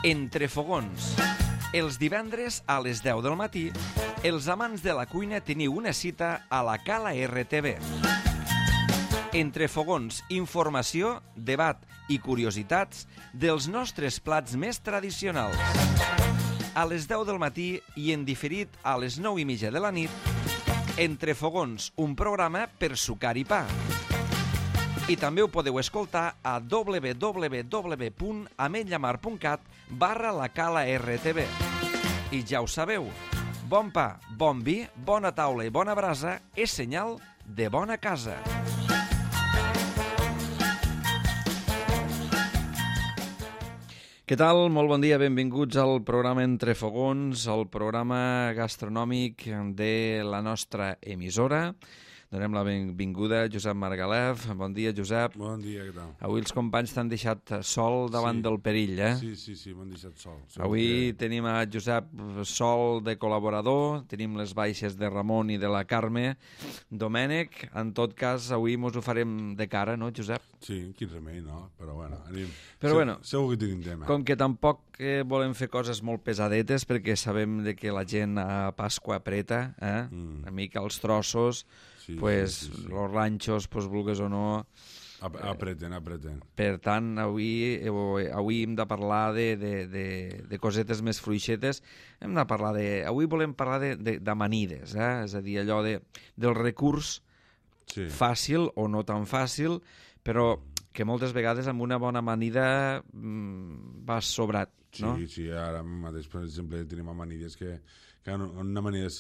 Entre fogons. Els divendres a les 10 del matí, els amants de la cuina teniu una cita a la Cala RTV. Entre fogons, informació, debat i curiositats dels nostres plats més tradicionals. A les 10 del matí i en diferit a les 9:30 de la nit, Entre fogons, un programa per sucar i pa. I també ho podeu escoltar a www.ametlllamar.cat/la Cala RTV. I ja ho sabeu, bon pa, bon vi, bona taula i bona brasa és senyal de bona casa. Què tal? Molt bon dia, benvinguts al programa Entre Fogons, el programa gastronòmic de la nostra emissora. Donem la benvinguda a Josep Margalef. Bon dia, Josep. Bon dia, què tal? Avui els companys t'han deixat sol davant del perill, eh? Sí, m'han deixat sol. Avui tenim a Josep sol de col·laborador, tenim les baixes de Ramon i de la Carme. Domènec, en tot cas, avui mos ho farem de cara, no, Josep? Sí, quin remei, no? Però bueno, anem. Però bueno, segur que tenim tema. Com que tampoc volem fer coses molt pesadetes, perquè sabem de que la gent a Pasqua apreta, una mica els trossos, pues los ranxos, pues vulgues o no... Apreten. Per tant, avui hem de parlar de cosetes més fluixetes. Avui volem parlar d'amanides, és a dir, allò del recurs fàcil o no tan fàcil, però que moltes vegades amb una bona amanida vas sobrat, no? Sí, ara mateix, per exemple, tenim amanides que una amanida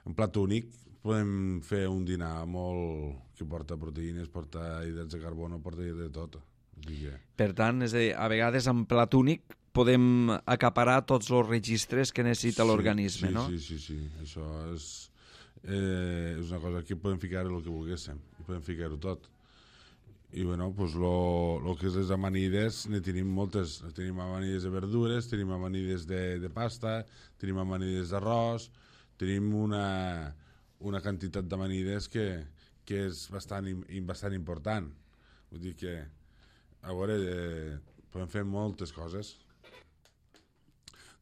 en plat únic podem fer un dinar molt que porta proteïnes, porta hidrats de carbono, porta de tot. Per tant, és a dir, a vegades en plat únic podem acaparar tots els registres que necessita l'organisme, no? Sí. Això és una cosa que podem ficar el que volguéssim, i podem ficar-ho tot. I bueno, doncs el que és les amanides, ne tenim moltes. Tenim amanides de verdures, tenim amanides de pasta, tenim amanides d'arròs, tenim una quantitat d'amanides que és bastant important. Vull dir que, a veure, podem fer moltes coses.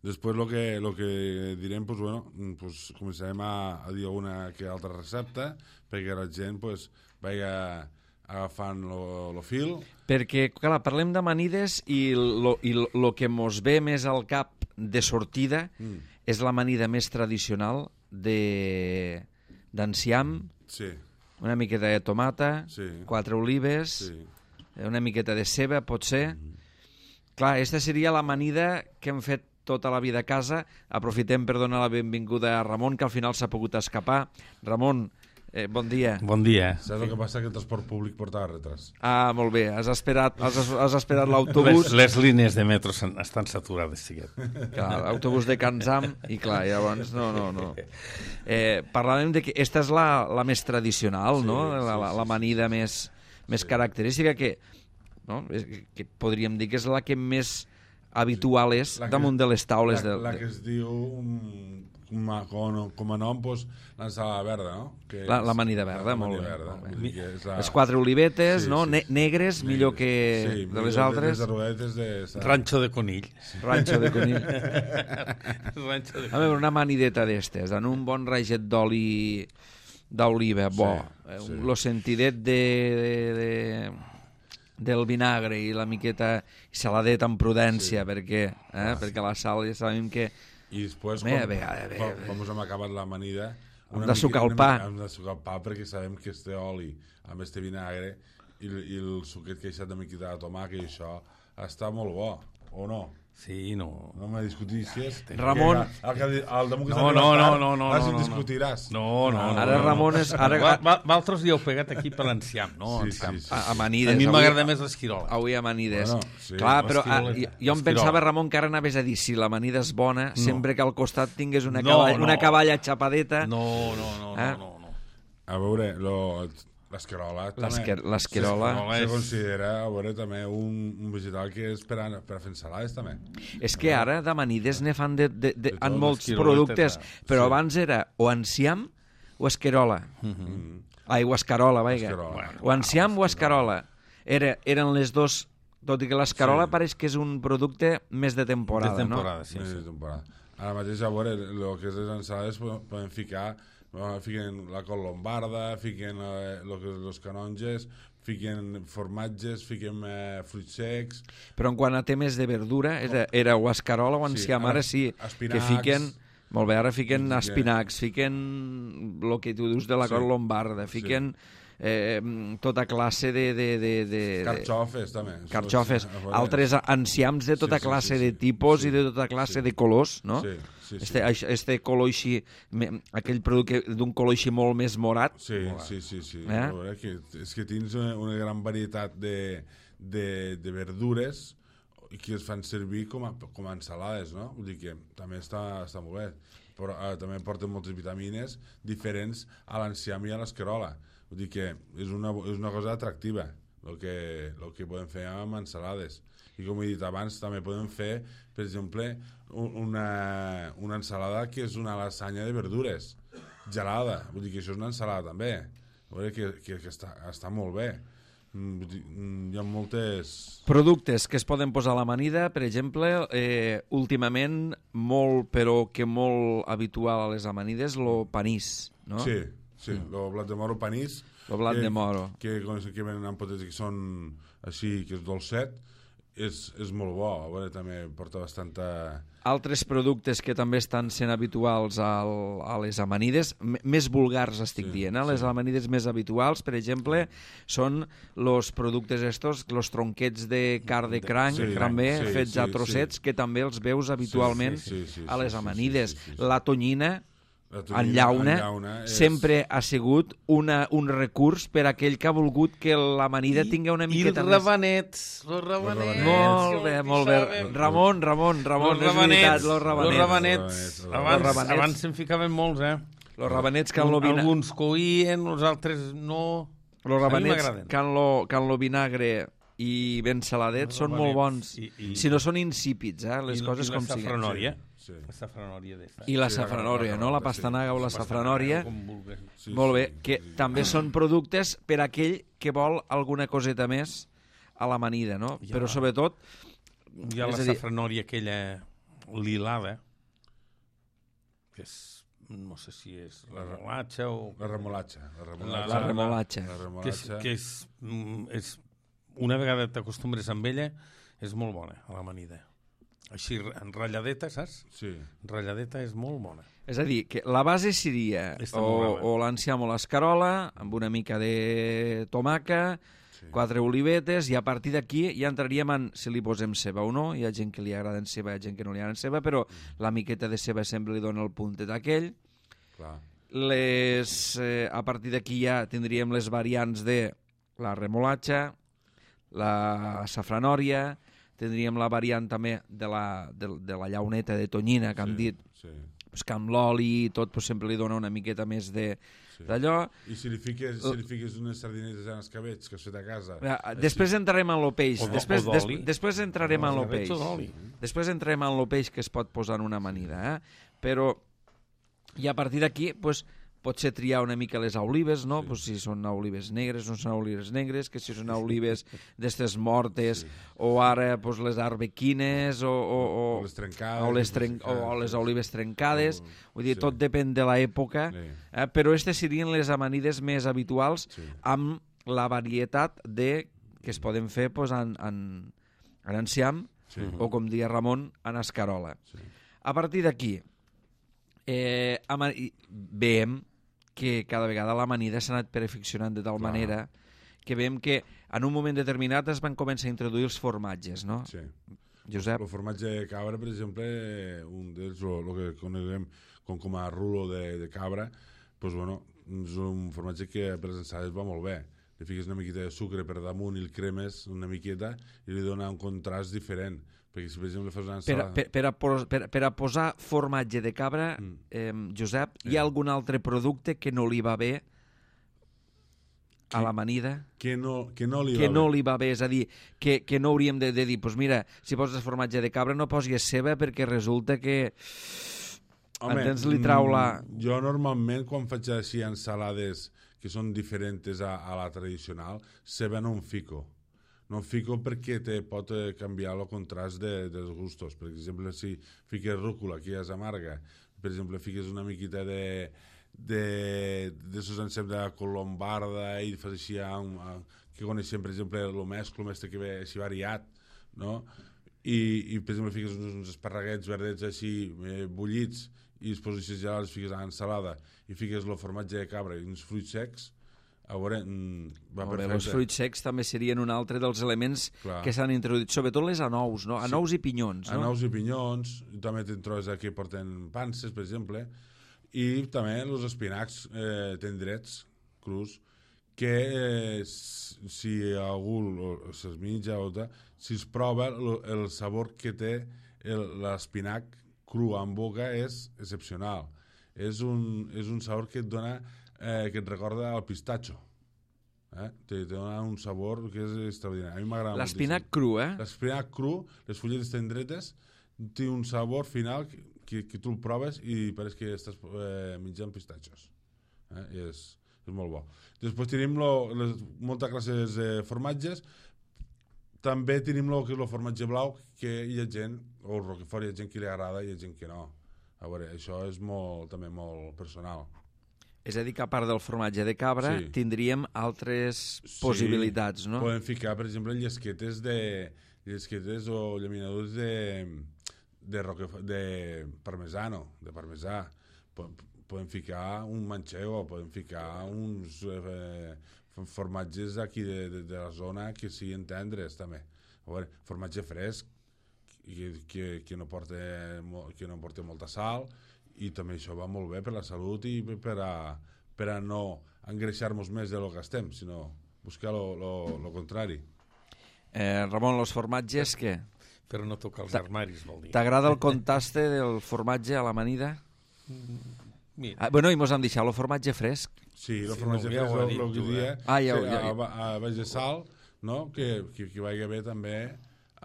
Després el que direm, doncs, bueno, començarem a dir alguna que altra recepta perquè la gent vagi agafant el fil. Perquè, clar, parlem d'amanides i el que mos ve més al cap de sortida és l'amanida més tradicional d'enciam, una miqueta de tomata, 4 olives, una miqueta de ceba, potser. Clar, aquesta seria l'amanida que hem fet tota la vida a casa. Aprofitem per donar la benvinguda a Ramon, que al final s'ha pogut escapar. Ramon, bon dia. Bon dia. Saps el que passa? Que el transport públic portava retras. Ah, molt bé. Has esperat l'autobús. Les línies de metro estan saturades, xiquet. Clar, l'autobús de Can Zam, i clar, llavors no. Parlàvem de que aquesta és la més tradicional, no? L'amanida més característica, que podríem dir que és la que més habitual és damunt de les taules. La que es diu... com a nom, l'ensalada verda, no? L'amanida verda, molt bé. Les 4 olivetes, no? Negres, millor que de les altres. Ranxo de conill. Ranxo de conill. A veure, una amanideta d'estes, en un bon raget d'oliva, bo. Lo sentidet del vinagre i la miqueta saladet amb prudència, perquè la sal ja sabem que... I després, quan hem acabat l'amanida, hem de sucar el pa. Hem de sucar el pa perquè sabem que este oli, amb este vinagre, i el suquet que ha deixat de miqueta de tomàquet, i això està molt bo, o no? Sí, no. No me discutissis. Ramon... No. Ara discutiràs. No. Ara Ramon és... Valtros hi heu pegat aquí per l'enciam, no? Sí. Amanides. A mi m'agrada més l'esquirola. Avui amanides. Clar, però jo em pensava, Ramon, que ara anaves a dir si l'amanida és bona, sempre que al costat tingués una caballa xapadeta. No. A veure, l'esquerola se considera, a veure, també un vegetal que és per a fer ensalades, també. És que ara d'amanides ne fan en molts productes, però abans era o enciam o esquerola. O escarola, vaja. O enciam o escarola. Eren les dos Tot i que l'escarola Sí. pareix que és un producte més de temporada, De temporada, sí. Més de temporada. Ara mateix, a veure, el que és les ensalades poden ficar, fiquen la col lombarda, fiquen el que és els canonges, fiquen formatges, fiquen fruits secs... Però en quant a temes de verdura, era o escarola o enciam, Sí, ara sí, espinacs, que fiquen... Molt bé, ara fiquen fiquen- espinacs, fiquen el que tu dius de la Sí. col lombarda, fiquen tota classe de Carxofes, també. carxofes, A veure, altres enciams de tota Sí, sí, classe sí, de sí. tipus Sí. i de tota classe Sí. de colors, no? Sí, sí, sí. Este color així, aquell producte d'un color així molt més morat. Sí, sí, sí, sí. Eh? A veure, és que tens una gran varietat de verdures que es fan servir com a ensalades, no? Vull dir que també està molt bé. Però també porten moltes vitamines diferents a l'enciam i a l'escarola. Vull dir que és una cosa atractiva el que podem fer amb ensalades. I com he dit abans, també podem fer, per exemple, una ensalada que és una lasanya de verdures gelada. Vull dir que això és una ensalada també. A veure, que està molt bé. Hi ha moltes... Productes que es poden posar a l'amanida, per exemple, últimament molt, però que molt habitual a les amanides, lo panís, no? Sí, el blat de moro panís. El blat de moro. Que venen en potets que són així, que és dolcet, és molt bo. A veure, també porta bastanta... Altres productes que també estan sent habituals a les amanides, més vulgars estic dient, les amanides més habituals, per exemple, són els productes estos, els tronquets de carn de cranc, també fets a trossets, que també els veus habitualment a les amanides. La tonyina, en llauna, sempre ha sigut un recurs per a aquell que ha volgut que l'amanida tingui una miqueta més... Els rabanets. Molt bé. Ramon, és veritat, los rabanets. Abans se'n ficaven molts, Los rabanets que en lo vinagre... Alguns coïen, els altres no... Los rabanets que en lo vinagre i ben saladets són molt bons. Si no són insípids, les coses com siguin. I la safranòria. La safranòria d'esta. I la safranòria, no? La pastanaga o la safranòria. Molt bé, que també són productes per a aquell que vol alguna coseta més a l'amanida, no? Però sobretot... Hi ha la safranòria aquella lilada, que és, no sé si és la remolatxa o... La remolatxa. La remolatxa. Que és una vegada t'acostumbres amb ella, és molt bona, a l'amanida. Així, en ratlladeta, saps? Sí. Ratlladeta és molt bona. És a dir, que la base seria o l'enciam o l'escarola, amb una mica de tomaca, 4 olivetes, i a partir d'aquí ja entraríem en si li posem ceba o no. Hi ha gent que li agrada en ceba, hi ha gent que no li agrada en ceba, però la miqueta de ceba sempre li dona el puntet aquell. Clar. A partir d'aquí ja tindríem les variants de la remolatxa, la safranòria, tindríem la variant també de la llauneta de tonyina, que hem dit, que amb l'oli i tot sempre li dona una miqueta més d'allò. I si li fiques unes sardinetes en escabets que has fet a casa... Després entrarem en el peix. Després entrarem en el peix. Després entrarem en el peix que es pot posar en una amanida. Però, i a partir d'aquí, potser triar una mica les olives, no? Si són olives negres, no són olives negres, que si són olives d'estes mortes, o ara les arbequines, o les trencades, o les olives trencades. Vull dir, tot depèn de l'època, però aquestes serien les amanides més habituals amb la varietat que es poden fer en enciam, o com deia Ramon, en escarola. A partir d'aquí, veiem que cada vegada l'amanida s'ha anat perfeccionant de tal manera que veiem que en un moment determinat es van començar a introduir els formatges, no? Sí. Josep? El formatge de cabra, per exemple, un d'ells, el que coneguem com a rulo de cabra, és un formatge que per les ensalades va molt bé. Li fiques una miqueta de sucre per damunt i el cremes una miqueta i li dona un contrast diferent. Perquè si, per exemple, fas una ensalada... Per a posar formatge de cabra, Josep, hi ha algun altre producte que no li va bé a l'amanida? Que no li va bé, és a dir, que no hauríem de dir, doncs mira, si poses formatge de cabra no posis ceba perquè resulta que... Home, entens? Li trau la... Jo normalment, quan faig així ensalades que són diferents a la tradicional, ceba no en fico. No fico perquè pot canviar el contrast dels gustos. Per exemple, si fiques rúcula, que ja és amarga, per exemple, fiques una miqueta de sos enceps de colombarda i fas així que coneixem, per exemple, el mesclo que ve així variat, no? I per exemple, fiques uns esparraguets verdets així bullits i després així ja els fiques a l'ensalada i fiques el formatge de cabra i uns fruits secs, a veure, va perfecte. Els fruits secs també serien un altre dels elements que s'han introduït, sobretot les anous, no? Anous i pinyons, no? Anous i pinyons, també te'n trobes que porten panses, per exemple, i també els espinacs tendrets, crus, que si algú se'ls menja o si es prova, el sabor que té l'espinac cru en boca és excepcional. És un sabor que et dona, que et recorda al pistatxo. Te dona un sabor que és extraordinari. A mi m'agrada moltíssim. L'espinac cru, L'espinac cru, les fulletes tendretes, té un sabor final que tu el proves i pareix que estàs menjant pistatxos. És molt bo. Després tenim moltes classes de formatges. També tenim el que és el formatge blau, que hi ha gent, o el roquefort, hi ha gent que li agrada i hi ha gent que no. A veure, això és també molt personal. És a dir, que a part del formatge de cabra tindríem altres possibilitats, no? Podem ficar, per exemple, llesquetes o llaminadures de parmesano, de parmesà. Podem ficar un manchego, podem ficar uns formatges aquí de la zona que siguin tendres, també. A veure, formatge fresc, que no porta molta sal, i també això va molt bé per la salut i per a no engreixar-nos més del que estem, sinó buscar el contrari. Ramon, els formatges, què? Per no tocar els armaris, vol dir. T'agrada el contraste del formatge a l'amanida? Bueno, i mos han deixat el formatge fresc. Sí, el formatge fresc, el que dia, a baix de sal, que vagi bé també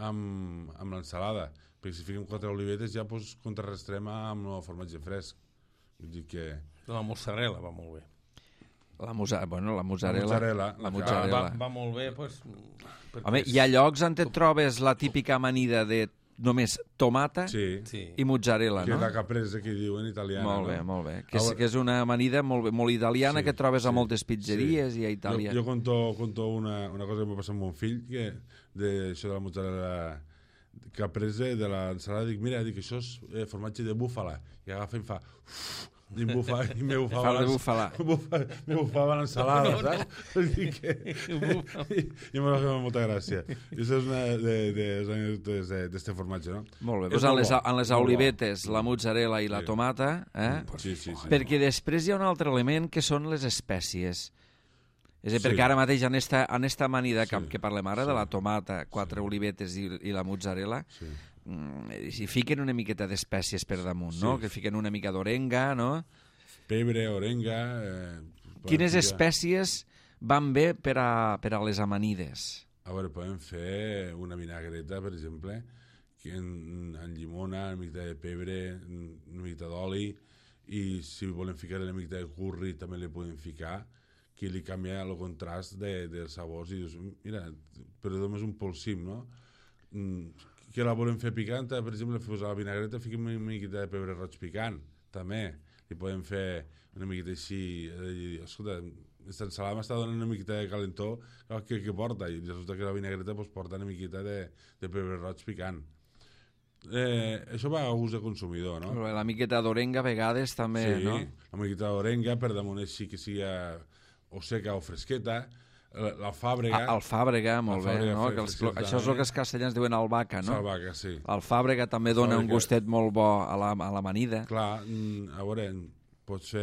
amb l'ensalada, perquè si fiquem 4 olivetes ja contrarrestem amb el formatge fresc. Vull dir que... La mozzarella va molt bé. La mozzarella. Va molt bé, doncs... Home, hi ha llocs on et trobes la típica amanida de només tomata i mozzarella, no? Que és la caprese que diuen italiana. Molt bé. Que és una amanida molt italiana que trobes a moltes pizzeries i a Itàlia. Jo conto una cosa que m'ha passat amb mon fill, que d'això de la mozzarella caprese, de l'ensalada, dic, mira, això és formatge de búfala. I agafa i fa... i me bufava l'ensalada, saps? I m'ha fet molta gràcia. I això és una de les anècdotes d'aquest formatge, no? Molt bé, doncs en les olivetes, la mozzarella i la tomata, Sí. Perquè després hi ha un altre element que són les espècies. És a dir, perquè ara mateix en esta amanida que parlem ara, de la tomata, 4 olivetes i la mozzarella, si fiquen una miqueta d'espècies per damunt, no? Que fiquen una mica d'orenga, no? Pebre, orenga... Quines espècies van bé per a les amanides? A veure, podem fer una vinagreta, per exemple, que en llimona, una miqueta de pebre, una miqueta d'oli, i si volem ficar una miqueta de curri també li podem ficar, que li canvia el contrast dels sabors, i dius, mira, però només un polsim, no? Que la volem fer picanta, per exemple, a la vinagreta fiquem una miqueta de pebre roig picant, també. Li podem fer una miqueta així, escolta, aquesta ensalada m'està donant una miqueta de calentó que porta, i resulta que la vinagreta porta una miqueta de pebre roig picant. Això va a gust de consumidor, no? La miqueta d'orenga a vegades també, no? Sí, la miqueta d'orenga per damunt així que sigui o seca o fresqueta. L'alfàbrega. Alfàbrega, molt bé, no? Això és el que els castellans diuen albahaca, no? Albahaca, sí. Alfàbrega també dona un gustet molt bo a l'amanida. Clar, a veure, pots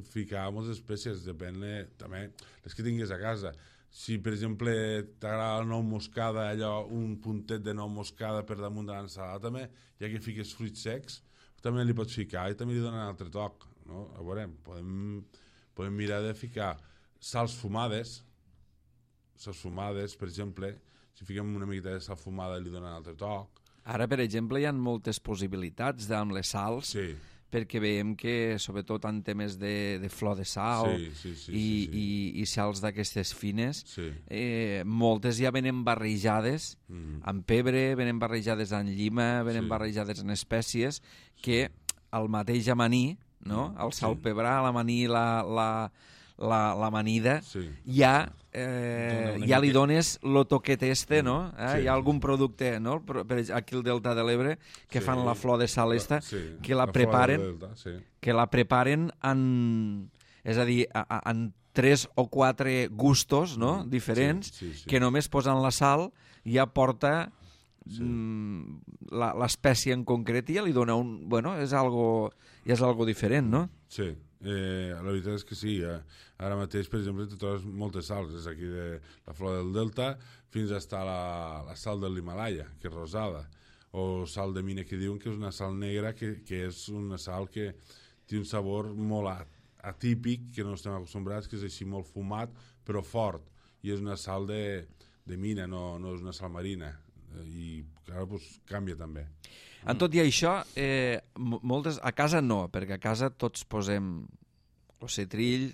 ficar moltes espècies, depèn també les que tinguis a casa. Si, per exemple, t'agrada la nou moscada, allò, un puntet de nou moscada per damunt de l'ensalada, també, ja que fiques fruits secs, també li pots ficar i també li donen un altre toc, no? A veure, podem mirar de ficar sals fumades, per exemple, si fiquem una miqueta de sal fumada li donen un altre toc. Ara, per exemple, hi ha moltes possibilitats amb les sals perquè veiem que, sobretot en temes de flor de sal i sals d'aquestes fines, moltes ja venen barrejades amb pebre, venen barrejades amb llima, venen barrejades en espècies, que el mateix amaní, no? El salpebrar, l'amaní, l'amanida, ja li dones lo toquet este, no? Hi ha algun producte, no? Aquí al Delta de l'Ebre, que fan la flor de sal esta, que la preparen en... És a dir, en 3 o 4 gustos, no? Diferents, que només posant la sal ja porta l'espècie en concret i ja li dona un... Bueno, és algo diferent, no? Sí. La veritat és que sí, ara mateix, per exemple, te trobes moltes sals, és aquí de la flor del Delta fins a estar la sal de l'Himalaya, que és rosada, o sal de mina, que diuen que és una sal negra, que és una sal que té un sabor molt atípic, que no estem acostumbrats, que és així molt fumat, però fort, i és una sal de mina, no és una sal marina, i ara canvia també. En tot i això, a casa no, perquè a casa tots posem el citrill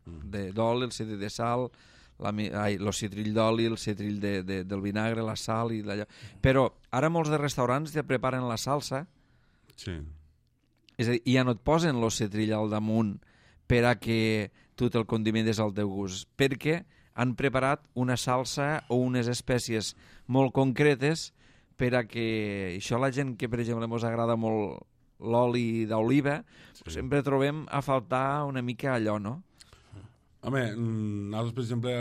d'oli, el citrill de sal, el citrill d'oli, el citrill del vinagre, la sal i d'allò. Però ara molts de restaurants ja preparen la salsa, és a dir, ja no et posen el citrill al damunt per a que tu te'l condimentes al teu gust, perquè han preparat una salsa o unes espècies molt concretes per a que això la gent que, per exemple, ens agrada molt l'oli d'oliva, sempre trobem a faltar una mica allò, no? Home, nosaltres, per exemple,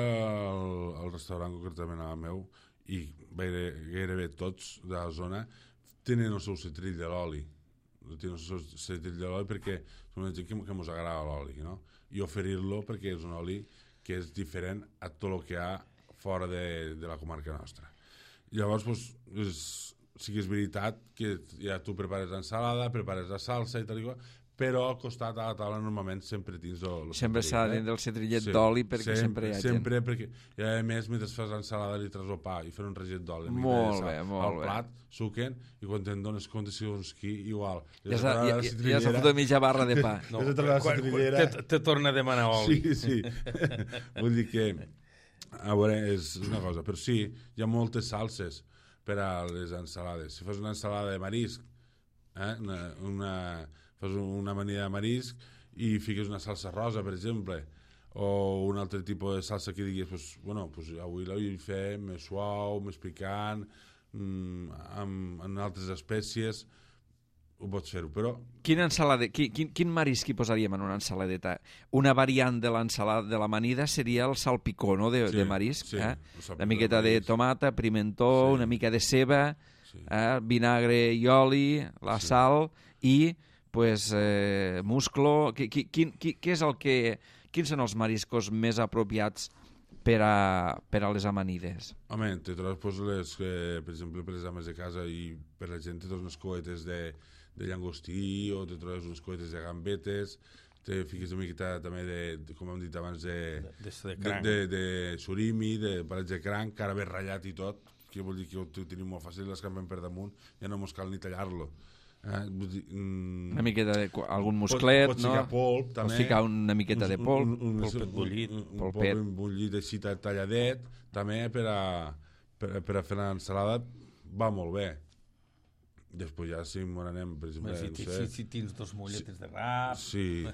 al restaurant concretament al meu, i gairebé tots de la zona, tenen el seu citrill de l'oli. Tenen el seu citrill de l'oli perquè és una gent que ens agrada l'oli, no? I oferir-lo perquè és un oli que és diferent a tot el que hi ha fora de la comarca nostra. Llavors, sí que és veritat que ja tu prepares l'ensalada, prepares la salsa i tal i qual, però al costat a la taula normalment sempre tens sempre s'ha de tenir el citrillet d'oli perquè sempre hi ha gent. Sempre, perquè i a més, mentre fas l'ensalada li tras el pa i fer un reget d'oli. Molt bé, molt bé. Al plat, suquen, i quan te'n dones compte segons qui, igual. Ja s'ha fotut mitja barra de pa. Te torna a demanar oli. Sí. Vull dir que, a veure, és una cosa, però sí, hi ha moltes salses per a les ensalades. Si fas una ensalada de marisc, fas una amanida de marisc i fiques una salsa rosa, per exemple, o un altre tipus de salsa que diguis, avui la vull fer més suau, més picant, amb altres espècies, ho pots fer-ho, però... Quin marisc hi posaríem en una ensaladeta? Una variant de l'ensalada de l'amanida seria el salpicó, no?, de marisc. Una miqueta de tomata, pimentó, una mica de ceba, vinagre i oli, la sal i musclo. Quins són els mariscos més apropiats per a les amanides? Home, te trobes, per exemple, per les ames de casa i per la gent te trobes unes coetes de llangostí o te trobes unes coetes de gambetes, te fiques una miqueta també com hem dit abans, de surimi, de palets de cranc, que ara ve ratllat i tot, que vol dir que ho tenim molt fàcil, l'escampem per damunt, ja no mos cal ni tallar-lo. Una miqueta d'algun musclet, pots ficar polp també, pots ficar una miqueta de polp, polpet bullit, un polp bullit així talladet també per a fer l'ensalada va molt bé. Després ja si m'on anem, per exemple, si tens 2 molletes de rap, sí.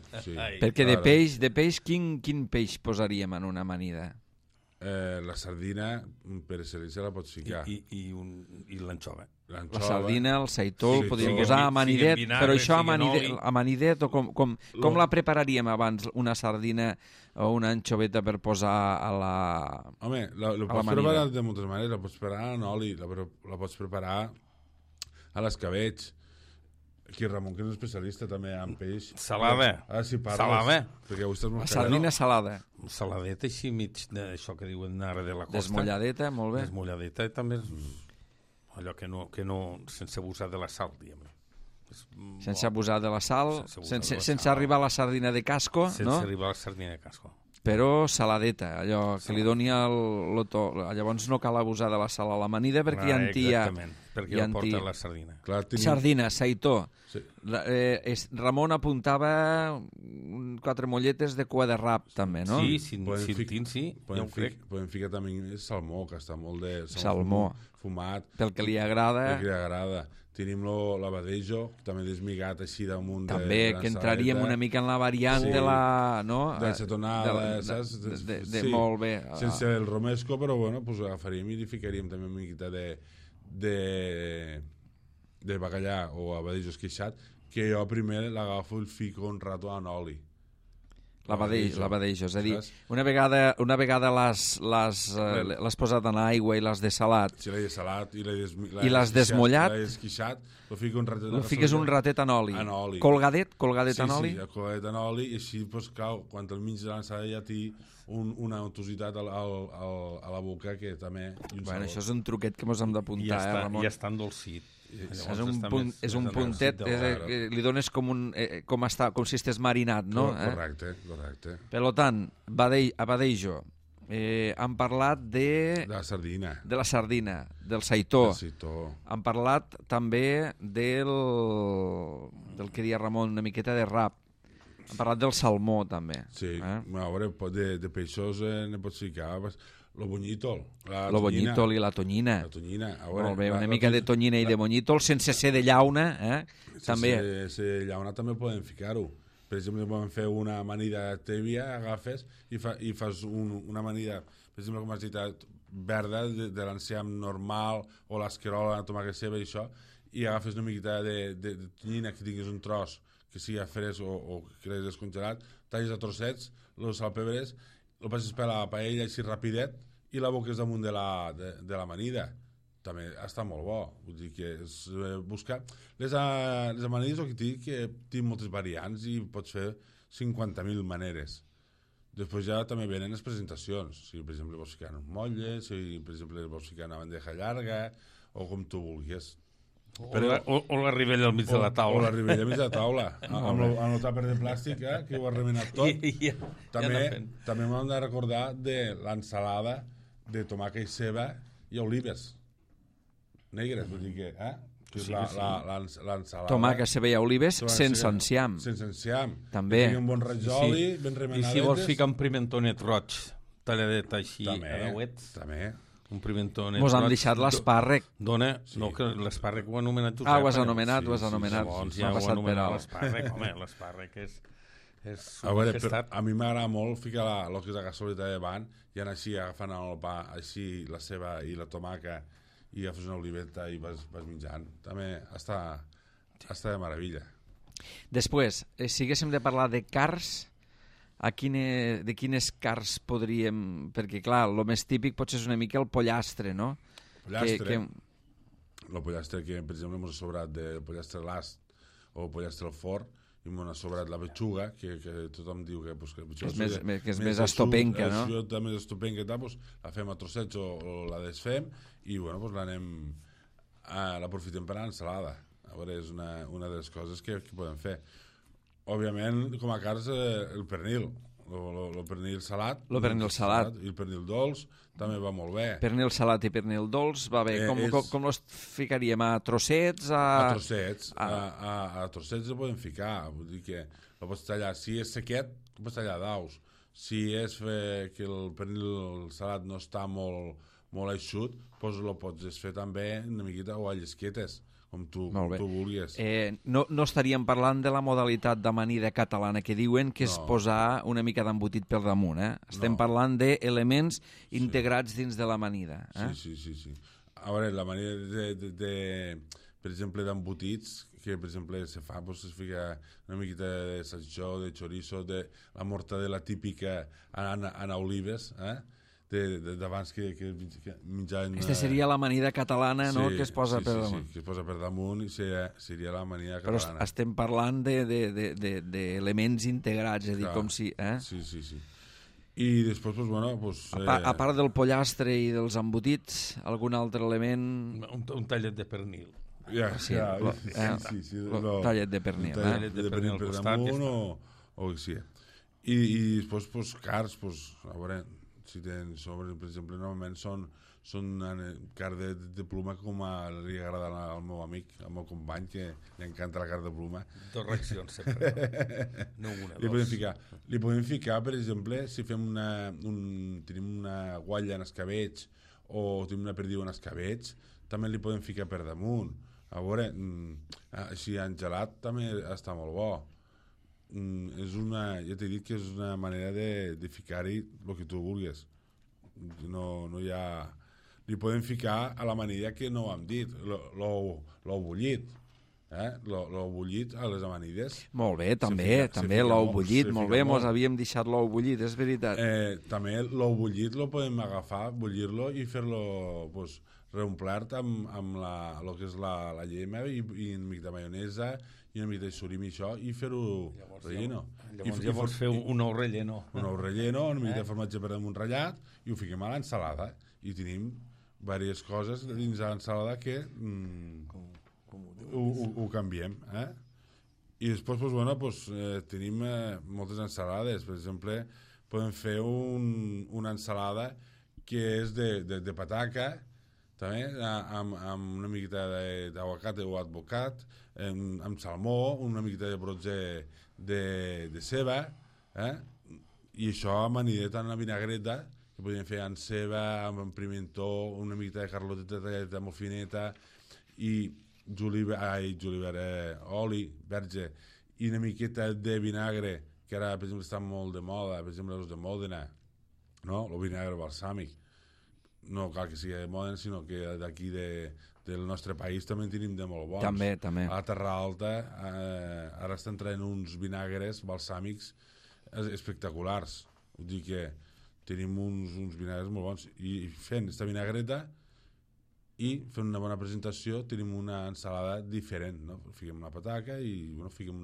Perquè de peix quin peix posaríem en una amanida? La sardina per excel·lència la pots ficar i l'anxova. La sardina, el seitó, el podríem posar amanidet, però això amanidet o com la prepararíem abans, una sardina o una anchoveta per posar a la amanida? Home, la pots preparar de moltes maneres, la pots preparar en oli, la pots preparar a l'escabetx. Aquí Ramon, que és un especialista també en peix. Salada. Ara si parles. Salada. La sardina salada. Saladeta així mig d'això que diuen ara de la costa. Desmolladeta, molt bé. Desmolladeta també allò que no sense abusar de la sal, diguem. Sense abusar de la sal, sense arribar a la sardina de casco, no? Sense arribar a la sardina de casco. Però saladeta, allò que li doni el to. Llavors no cal abusar de la sal a l'amanida perquè ja en tia... Exactament, perquè ja porta la sardina. Sardina, seitó. Ramon apuntava 4 molletes de cua de rap, també, no? Sí, sí, ja ho crec. Podem ficar també salmó, que està molt de... Salmó. Fumat. Pel que li agrada. Pel que li agrada. Tenim l'abadejo, també desmigat així damunt de també, que entraríem una mica en la variant de la... No? D'acetonada, saps? Molt bé. Sense el romesco, però bueno, pues agafaríem i li ficaríem també una miqueta de bacallà o abadejo esqueixat, que jo primer l'agafo i el fico un rato en oli. L'abadejo, és a dir, una vegada l'has posat en aigua i l'has dessalat. Si l'he dessalat i l'has desmollat, l'he esquixat, lo fiques un ratet en oli. Colgadet en oli? Sí, colgadet en oli, i així, pues, clar, quan al mig de l'ensalada ja té una untositat a la boca que també... Bueno, això és un truquet que mos hem d'apuntar, Ramon. Ja està endolcit. És un puntet, li dones com si estigués marinat, no? Correcte. Per tant, abadejo. Han parlat de la sardina. De la sardina, del saitó. Han parlat també del que deia Ramon, una miqueta de rap. Han parlat del salmó, també. Sí, a veure, de peixos ne pots ficar... Lo bonyítol. Lo bonyítol i la tonyina. La tonyina. Molt bé, una mica de tonyina i de bonyítol, sense ser de llauna, també. Sense ser de llauna també podem ficar-ho. Per exemple, podem fer una amanida tèbia, agafes i fas una amanida, per exemple, com has dit, verda, de l'enciam normal, o l'esquerola, la tomàquet ceba i això, i agafes una miqueta de tonyina, que tinguis un tros que sigui fresc o que l'has descongelat, talles a trossets, los salpebres, el passes per la paella així rapidet i la boques damunt de l'amanida. També està molt bo. Vull dir que és buscar... Les amanides, el que dic, que té moltes variants i pots fer 50.000 maneres. Després ja també venen les presentacions. Si, per exemple, vols ficar un motlle, si, per exemple, vols ficar una bandeja llarga, o com tu vulguis. O la ribella al mig de la taula. O la ribella al mig de la taula. Amb el tàper de plàstic, que ho ha remenat tot. També m'hem de recordar de l'ensalada de tomàquet i ceba i olives negres, vull dir que... l'ensalada... Tomàquet, ceba i olives sense enciam. Sense enciam. També. Que tingui un bon rajoli, ben remenadetes. I si vols ficar un pimentonet roig, talladet així, també. Un pimentonet. Mos han deixat l'espàrrec. Dona, no, que l'espàrrec ho ha anomenat Josep. Ho has anomenat. Llavors ja ho ha anomenat l'espàrrec. Home, l'espàrrec és a veure, a mi m'agrada molt ficar el que és la gasoleta de davant i anar així agafant el pa, així la ceba i la tomaca i agafes una oliveta i vas menjant. També està de meravella. Després, si haguéssim de parlar de cars, de quines cars podríem... Perquè, clar, el més típic potser és una mica el pollastre, no? El pollastre que, per exemple, m'ha sobrat del pollastre l'ast o el pollastre al forn, i m'ha sobrat la petxuga, que tothom diu que és més estopenca, no? Si és més estopenca, la fem a trossets o la desfem i, bueno, l'aprofitem per a l'ensalada. A veure, és una de les coses que podem fer. Òbviament, com a cars, el pernil. El pernil salat. El pernil salat. I el pernil dolç també va molt bé. Pernil salat i pernil dolç va bé. Com els ficaríem? A trossets? A trossets. A trossets el podem ficar. Vull dir que el pots tallar. Si és sequet, el pots tallar daus. Si és que el pernil salat no està molt eixut, doncs el pots fer també una miqueta o a llesquetes, com tu vulguis. No estaríem parlant de la modalitat d'amanida catalana que diuen que és posar una mica d'embotit per damunt. Estem parlant d'elements integrats dins de l'amanida. Sí. A veure, l'amanida per exemple, d'embotits, que per exemple se fa, es fica una miqueta de salchichó, de chorizo, de la mortadela típica en olives, d'abans que menjaven... Aquesta seria l'amanida catalana, no?, que es posa per damunt. Sí, que es posa per damunt i seria l'amanida catalana. Però estem parlant d'elements integrats, és a dir, com si... Sí. I després, a part del pollastre i dels embotits, algun altre element... Un tallet de pernil. Sí. Tallet de pernil. Tallet de pernil per damunt o que sigui. I després, cars, a veure... Si tens sobre, per exemple, normalment són són carn de pluma com li agrada al meu amic, al meu company, que li encanta la carn de pluma. Dos reaccions sempre, no una, dos. Li podem ficar, per exemple, si fem tenim una guatlla en escabeig o tenim una perdiu en escabeig, també li podem ficar per damunt. A veure, així en gelat també està molt bo. Ja t'he dit que és una manera de ficar-hi el que tu vulguis. No hi ha... Li podem ficar a la manera que no ho hem dit, l'ou bullit. L'ou bullit a les amanides. Molt bé, també l'ou bullit, molt bé, mos havíem deixat l'ou bullit, és veritat. També l'ou bullit lo podem agafar, bullir-lo i fer-lo reomplert amb el que és la llema i una mica de maionesa i una mica de surimi, això, i fer-ho relleno. Llavors fer un ou relleno. Un ou relleno, una mica de formatge per damunt ratllat, i ho fiquem a l'ensalada. I tenim diverses coses dins de l'ensalada que ho canviem. I després, tenim moltes ensalades. Per exemple, podem fer una ensalada que és de pataca, també, amb una miqueta d'aguacate o advocat, amb salmó, una miqueta de brots de ceba, i això amanidet en la vinagreta, que podríem fer amb ceba, amb pimentó, una miqueta de carloteta tallada molt fineta, i oli verge, i una miqueta de vinagre, que ara, per exemple, està molt de moda, per exemple, els de Mòdena, no? El vinagre balsàmic. No cal que sigui de Mòdena, sinó que d'aquí del nostre país també en tenim de molt bons. També. A la Terra Alta ara estan traient uns vinagres balsàmics espectaculars. Vull dir que tenim uns vinagres molt bons. I fent aquesta vinagreta i fent una bona presentació tenim una ensalada diferent, no? Fiquem una pataca i fiquem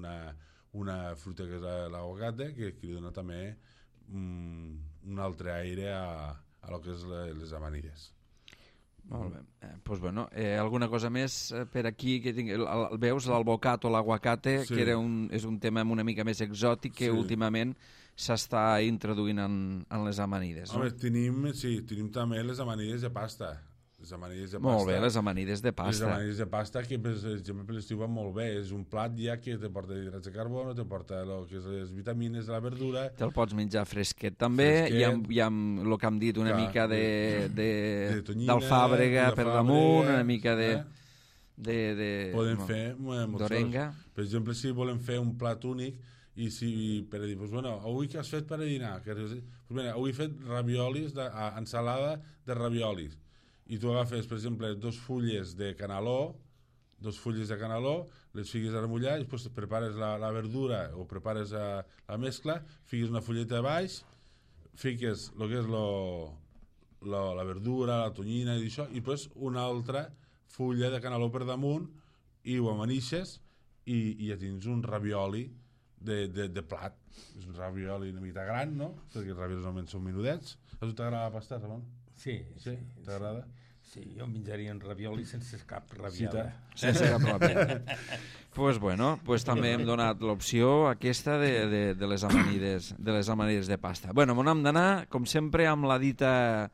una fruita que és l'aguacate, que li dona també un altre aire a lo que és les amanilles. Molt bé. Alguna cosa més per aquí? Veus l'alvocat o l'aguacate, que és un tema una mica més exòtic que últimament s'està introduint en les amanides. Home, tenim també les amanides de pasta. Molt bé, les amanides de pasta. Les amanides de pasta, que per exemple per l'estiu van molt bé. És un plat ja que te porta hidrats de carbono, te porta les vitamines de la verdura. Te'l pots menjar fresquet també, i amb el que hem dit, una mica d'alfàbrega per damunt, una mica podem fer d'orenga. Per exemple, si volem fer un plat únic, i si per dir, avui què has fet per a dinar? Avui he fet raviolis, ensalada de raviolis. I tu agafes, per exemple, 2 fulles de canaló, les fiques a remullar, i després prepares la verdura o prepares la mescla, fiques una fulleta a baix, fiques el que és la verdura, la tonyina i això, i després una altra fulla de canaló per damunt i ho amanixes i ja tens un ravioli de plat. És un ravioli una mica gran, no? Perquè els raviolis normalment són menudets. A tu t'agrada la pasta, Ramon? Sí. T'agrada? Sí, jo menjaria un ravioli sense cap rabiada. Sense cap rabiada. Pues també hem donat l'opció aquesta de les amanides de pasta. M'on hem d'anar, com sempre, amb la dita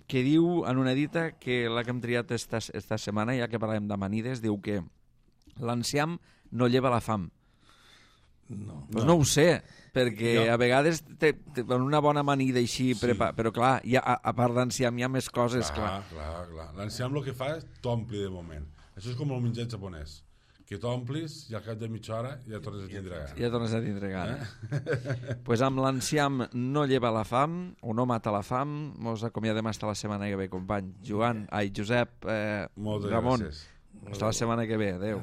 que diu, en una dita que la que hem triat esta setmana, ja que parlem d'amanides, diu que l'enciam no lleva la fam. No ho sé, perquè a vegades una bona amanida així, però clar, a part d'enciam hi ha més coses. Clar. L'enciam el que fa és t'ompli de moment. Això és com el menjar japonès, que t'omplis i al cap de mitja hora ja tornes a tindre gana. Pues amb l'enciam no lleva la fam, o no mata la fam. Mos acomiadem fins la setmana que ve, company. Josep, Ramon, fins la setmana que ve. Adéu.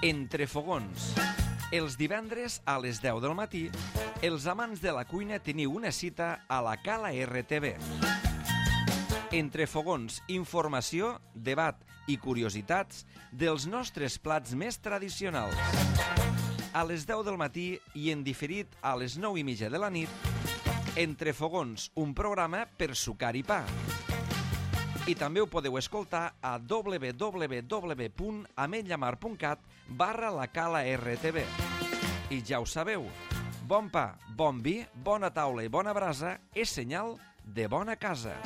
Entre fogons. Els divendres a les 10 del matí, els amants de la cuina teniu una cita a la Cala RTV. Entre fogons, informació, debat i curiositats dels nostres plats més tradicionals. A les 10 del matí i en diferit a les 9:30 de la nit, Entre fogons, un programa per sucar i pa. I també ho podeu escoltar a www.ametlllamar.cat/la Cala RTV. I ja ho sabeu, Bon pa, bon vi, bona taula i bona brasa és senyal de bona casa.